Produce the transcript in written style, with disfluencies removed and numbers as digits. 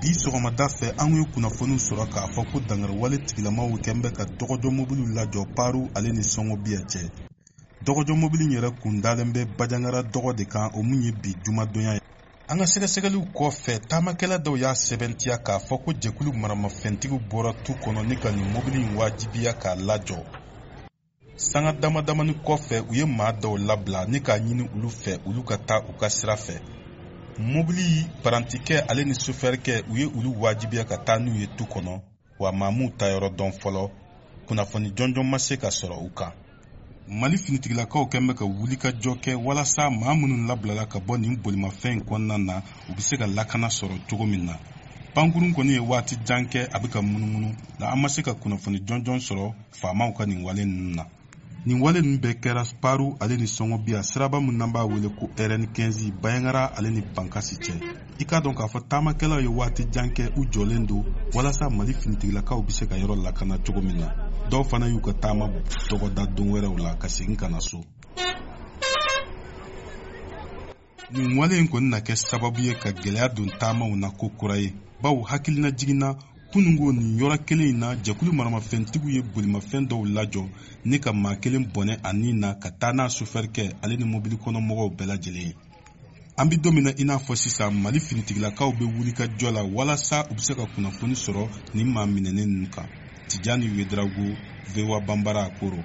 Bi sɔgɔmada fɛ, an ye kunnafoniw sɔrɔ k'a fɔ ko dankariwale tigilamaw kɛn bɛ ka dɔgɔjɔ mobiliw lajɔ Paru ale ni Sɔngɔbiya cɛ. Dɔgɔjɔ mobili in yɛrɛ kun dalen bɛ Bajangara dɔgɔ de kan, o mun ye bi jumadonya ye. An ka sɛgɛsɛgɛliw kɔfɛ, taamakɛla dɔw y'a sɛbɛntiya k'a fɔ ko jɛkulu maramafɛntigiw bɔra tu kɔnɔ ni ka nin mobili in wajibiya k'a lajɔ. Sanga dama damani kɔfɛ, u ye maa dɔw labila ni k'a ɲini olu fɛ olu ka taa u ka sira fɛ. Mobili parantikɛ ale ni sofɛrikɛ, u ye olu wajibiya ka taa n'u ye tu kɔnɔ, wa maa m'u ta yɔrɔ dɔn fɔlɔ. Kunnafoni jɔnjɔn ma se ka sɔrɔ u kan. Mali finitigilakaw kɛn bɛ ka wulikajɔ kɛ walasa maa minnu labilala ka bɔ nin bolimafɛn in kɔnɔna na, u bɛ se ka lakana sɔrɔ cogo min na. Pankurun kɔni ye waati jan kɛ a bɛ ka munumunu, nka an ma se ka kunnafoni jɔnjɔn sɔrɔ faamaw ka nin wale ninnu na. Nin wale ninnu bɛɛ kɛra Paru ale ni Sɔngɔbiya siraba min n'an b'a wele ko RN15 Bayangara ale ni Bankasi cɛ. I k'a dɔn k'a fɔ taamakɛlaw ye waati jan kɛ u jɔlen don walasa Mali finitigilakaw bɛ se ka yɔrɔ lakana cogo min na. Dɔw fana y'u ka taama dɔgɔda don wɛrɛw la ka segin ka na so. Nin wale in kɔni na kɛ sababu ye ka gɛlɛya don taamaw na ko kura ye, bawo hakilina jiginna kunungo nin yɔrɔ kelen in na, jɛkulu maramafɛntigiw ye bolimafɛn dɔw lajɔ ni ka maa kelen bɔnɛ a ni na ka taa n'a sofɛrikɛ ale ni mobili kɔnɔ mɔgɔw bɛɛ lajɛlen ye. An bɛ don min na i n'a fɔ sisan, Mali finitigilakaw bɛ wuli ka jɔ la walasa u bɛ se ka kunnafoni sɔrɔ nin maa minɛnen ninnu kan. Tijani Wedrago, VOA Banbara, Koro.